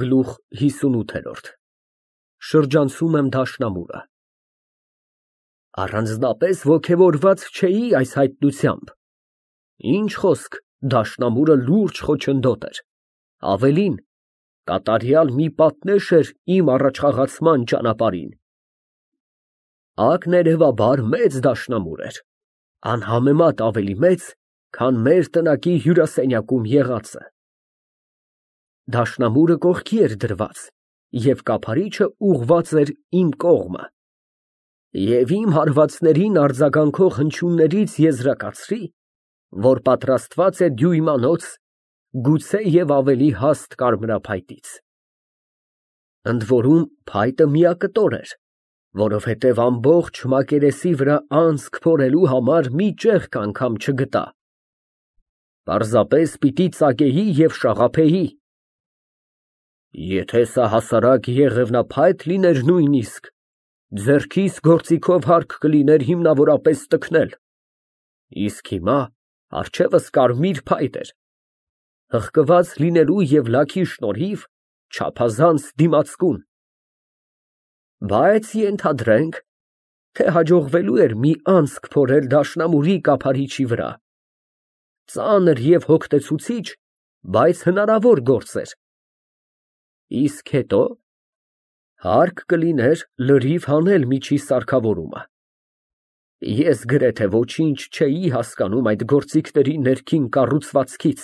Գլուխ 58 Շրջանցում եմ դաշնամուրը։ Առանձնապես ոգևորված չէի այս հայտնությամբ։ Ինչ խոսք, դաշնամուրը լուրջ խոչընդոտ էր, ավելին, կատարյալ մի պատնեշ էր իմ առաջխաղացման ճանապարհին։ Ակներևաբար մեծ դաշնամուր էր, անհամեմատ ավելի մեծ, քան մեր տնակի հյուրասենյակում եղածը։ Դաշնամուրը կողքի էր դրված, և կափարիչը ուղղված էր իմ կողմը, և իմ հարվածներին արձագանքող հնչյուններից եզրակացրի, որ պատրաստված է դյույմանոց, գուցե և ավելի հաստ կարմրափայտից։ Ընդ որում փայտը միակտոր էր, որովհետև ամբողջ մակերեսի վրա անցք փորելու համար մի ճեղք անգամ չգտա, պարզապես պիտի ծակեի և շաղափեի։ Եթե սա հասարակ եղևնափայտ լիներ նույնիսկ, ձեռքիս գործիքով հարկ կլիներ հիմնավորապես տքնել, իսկ հիմա առջևս կարմիր փայտ էր, հղկված լինելու և լաքի շնորհիվ չափազանց դիմացկուն։ Բայց ենթադրենք, թե հաջողվելու էր մի անցք փորել դաշնամուրի կափարիչի վրա, ծանր և հոգնեցուցիչ, բայց հնարավոր գործ էր։ Իսկ հետո հարկ կլիներ լրիվ հանել միջի սարքավորումը։ Ես գրեթե ոչինչ չէի հասկանում այդ գործիքների ներքին կառուցվածքից։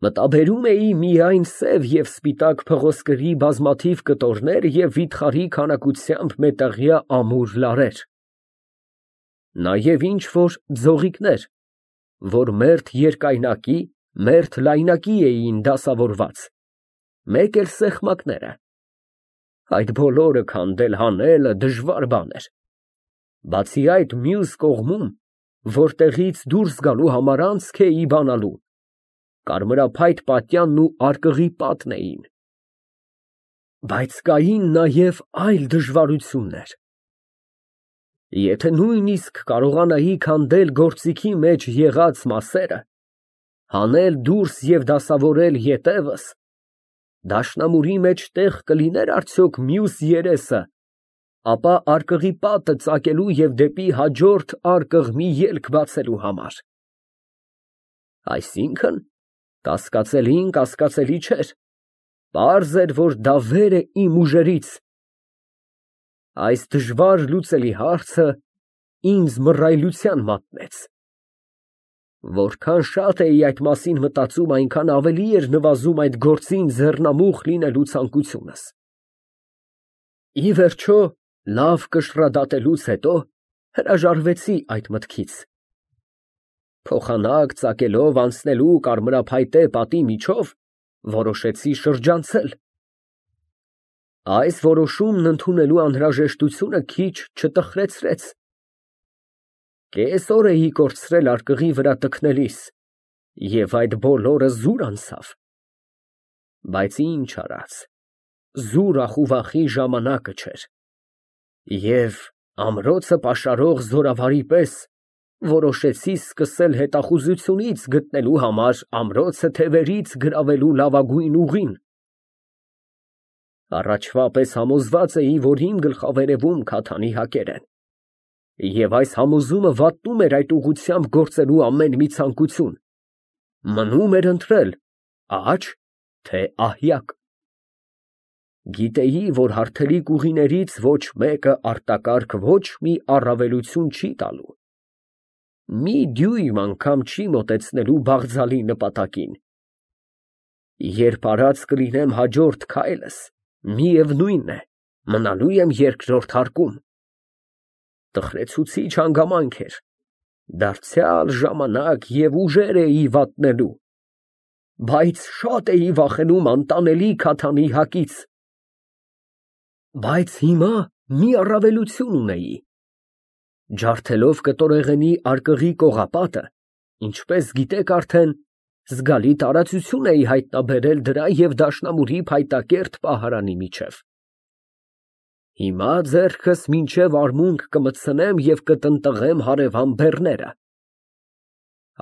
Մտաբերում էի միայն սև և սպիտակ փղոսկրի բազմաթիվ կտորներ և վիթխարի քանակությամբ մետաղյա ամուր լարեր, նաև ինչ֊որ ձողիկներ, որ մերթ երկայնակի, մերթ լայնակի էին դասավորված, մեկ էլ սեղմակները։ Այդ բոլորը քանդել հանելը դժվար բան էր։ Բացի այդ, մյուս կողմում, որտեղից դուրս գալու համար անցք էի բանալու, կարմրափայտ պատյանն ու արկղի պատն էին։ Բայց կային նաև այլ դժվարություններ։ Եթե նույնիսկ կարողանայի քանդել գործիքի մեջ եղած մասերը, հանել դուրս և դասավորել ետևս, դաշնամուրի մեջ տեղ կլիներ արդյոք մյուս երեսը, ապա արկղի պատը ծակելու և դեպի հաջորդ արկղ մի ելք բացելու համար։ Այսինքն, կասկածելին կասկածելի չէր, պարզ էր, որ դա վեր է իմ ուժերից։ Այս դժվար լուծելի հարցը ինձ մռայլության մատնեց։ Որքան շատ էի այդ մասին մտածում, այնքան ավելի էր նվազում այդ գործին ձեռնամուխ լինելու ցանկությունս։ Ի վերջո, լավ կշռադատելուց հետո հրաժարվեցի այդ մտքից։ Փոխանակ ծակելով անցնելու կարմրափայտե պատի միջով, որոշեցի շրջանցել։ Այս որոշումն ընդունելու անհրաժեշտությունը քիչ չտխրեցրեց։ Կես օր էի կորցրել արկղի վրա տքնելիս, և այդ բոլորը զուր անցավ։ Բայց ինչ արած, զուր ախուվախի ժամանակը չէր, և ամրոցը պաշարող զորավարի պես որոշեցի սկսել հետախուզությունից գտնելու համար ամրոցը թևերից գրավելու լավագույն ուղին։ Առաջվա պես համոզված էի, որ իմ գլխավերևում քաթանի հակեր են, և այս համոզումը վատնում էր այդ ուղղությամբ գործելու ամեն մի ցանկություն։ Մնում էր ընտրել աջ, թե ահյակ։ Գիտեի, որ հարթելիք ուղիներից ոչ մեկը արտակարգ ոչ մի առավելություն չի տալու, մի դյույմ անգամ չի մոտեցնելու բաղձալի նպատակին։ Երբ արած կլինեմ հաջորդ քայլս, միևնույն է, մնալու եմ երկրորդ հարկում։ Տխրեցուցիչ հանգամանք էր, դարձյալ ժամանակ և ուժեր էի վատնելու, բայց շատ էի վախենում անտանելի քաթանի հակից։ Բայց հիմա մի առավելություն ունեի. ջարդելով կտորեղենի արկղի կողապատը, ինչպես գիտեք արդեն, զգալի տարածություն էի հայտնաբերել դրա և դաշնամուրի փայտակերտ պահարանի միջև։ Հիմա ձեռքս մինչև արմունկ կմտցնեմ և կտնտղեմ հարևան բեռները։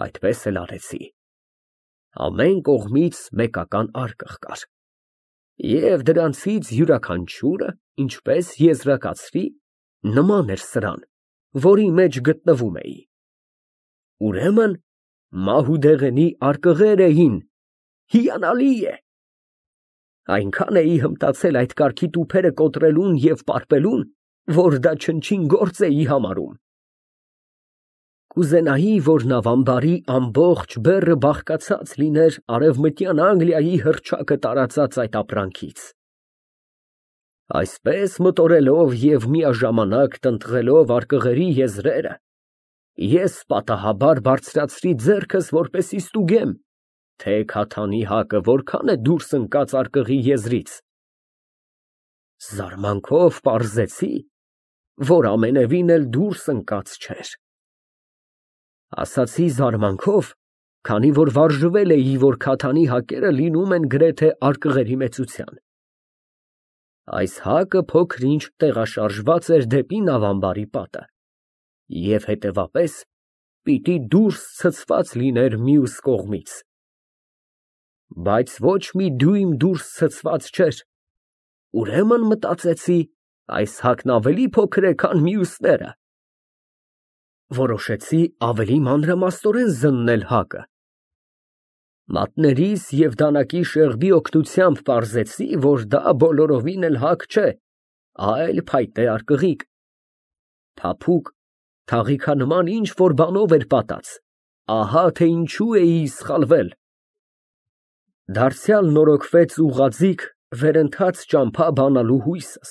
Այդպես էլ արեցի։ Ամեն կողմից մեկական արկղ կար։ Եվ դրանցից յուրաքանչյուրը, ինչպես եզրակացրի, նման էր սրան, որի մեջ գտնվում էի։ Ուրեմն Մահուդեղենի արկղեր էին, հիանալի է։ Այնքան էի հմտացել այդ կարգի տուփերը կոտրելուն և պարպելուն, որ դա չնչին գործ էի համարում։ Կուզենայի, որ նավամբարի ամբողջ բեռը բաղկացած լիներ Արևմտյան Անգլիայի հռչակը տարածած այդ ապրանքից։ Այսպես մտորելով և միաժամանակ տնտղելով արկղերի եզրերը, ես պատահաբար բարձրացրի ձեռքս, որպեսզի ստուգեմ, թե քաթանի հակը որքան է դուրս ընկած արկղի եզրից։ Զարմանքով պարզեցի, որ ամենևին էլ դուրս ընկած չէր։ Ասացի զարմանքով, քանի որ վարժվել էի, որ քաթանի հակերը լինում են գրեթե արկղերի մեծության։ Այս հակը փոքր-ինչ տեղաշարժված էր դեպի նավամբարի պատը և հետևապես պիտի դուրս ցցված լիներ մյուս կողմից։ Բայց ոչ մի դյույմ դուրս ցցված չէր, ուրեմն մտածեցի, այս հակն ավելի փոքր է, քան մյուսները։ Որոշեցի ավելի մանրամասնորեն զննել հակը։ Մատներիս և դանակի շեղբի օգնությամբ պարզեցի, որ դա բոլորովին էլ հակ չէ, այլ փայտե արկղիկ։ Փափուկ, թաղիքանման ինչ-որ բանով էր պատած, ահա թե ինչու էի սխալվել։ Դարձյալ նորոգվեց ուղղաձիգ, վերընթաց ճամփա բանալու հույսս։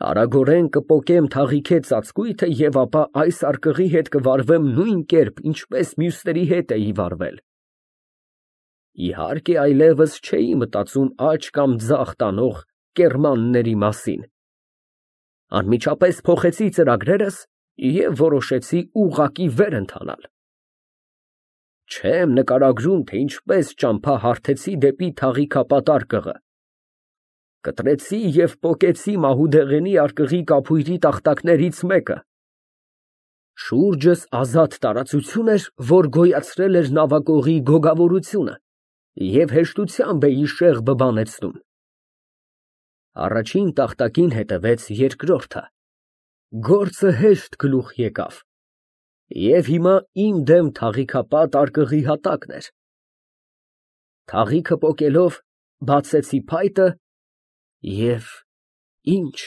Արագորեն կպոկեմ թաղիքե ծածկույթը և ապա այս արկղի հետ կվարվեմ նույն կերպ, ինչպես մյուսների հետ էի վարվել։ Իհարկե, այլևս չէի մտածում աջ կամ ձախ տանող կեռմանների մասին։ Անմիջապես փոխեցի ծրագրերս և որոշեցի ուղղակի վեր ընթանալ։ Չեմ նկարագրում, թե ինչպես ճամփա հարթեցի դեպի թաղիքապատ արկղը։ Կտրեցի և պոկեցի Մահուդեղենի արկղի կափույրի տախտակներից մեկը։ Շուրջս ազատ տարածություն էր, որ գոյացրել էր նավակողի գոգավորությունը և հեշտությամբ էի շեղբը բանեցնում։ Առաջին տախտակին հետևեց երկրորդը։ Գործը հեշտ գլուխ եկավ։ Եվ հիմա իմ դեմ թաղիքապատ արկղի հատակն էր։ Թաղիքը պոկելով բացեցի փայտը և ինչ։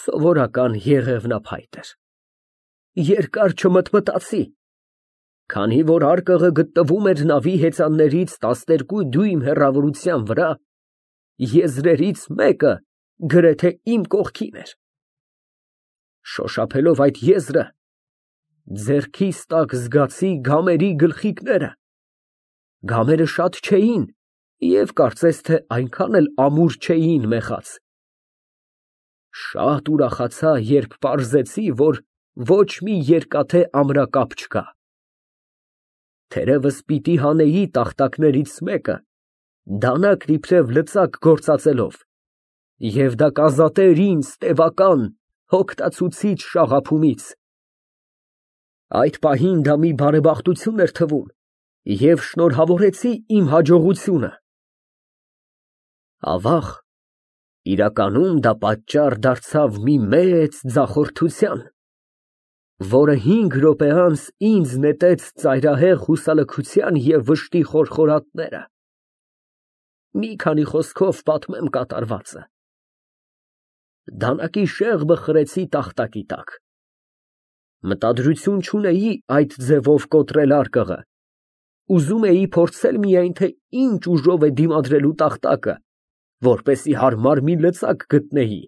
Սովորական եղևնափայտ էր։ Երկար չմտմտացի։ Քանի որ արկղը գտնվում էր նավի հեծաններից 12 դյույմ հեռավորության վրա, եզրերից մեկը գրեթե իմ կողքին էր։ Շոշափելով այդ եզրը, ձեռքիս տակ զգացի գամերի գլխիկները։ Գամերը շատ չէին և կարծես թե այնքան էլ ամուր չէին մեխած։ Շատ ուրախացա, երբ պարզեցի, որ ոչ մի երկաթե ամրակապ չկա։ Թերևս պիտի հանեի տախտակներից մեկը, դանակն իբրև լծակ գործածելով, և դա կազատեր ինձ տևական, հոգնեցուցիչ շաղափումից։ Այդ պահին դա մի բարեբախտություն էր թվում և շնորհավորեցի իմ հաջողությունը։ Ավաղ, իրականում դա պատճառ դարձավ մի մեծ ձախորդության, որը 5 րոպե անց ինձ նետեց ծայրահեղ հուսալքության և վշտի խորխորատները։ Մի քանի խոսքով պատմեմ կատարվածը։ Դանակի շեղբը խրեցի տախտակի տակ։ Մտադրություն չունեի այդ ձևով կոտրել արկղը։ Ուզում էի փորձել միայն, թե ինչ ուժով է դիմադրելու տախտակը, որպեսզի հարմար մի լծակ գտնեի։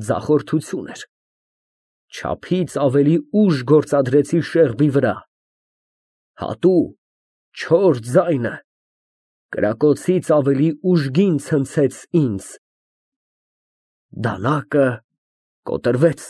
Ձախորդություն էր։ Չափից ավելի ուժ գործադրեցի շեղբի վրա։ Հատու, չոր ձայնը կրակոցից ավելի ուժգին ցնցեց ինձ։ Դանակը կոտրվեց։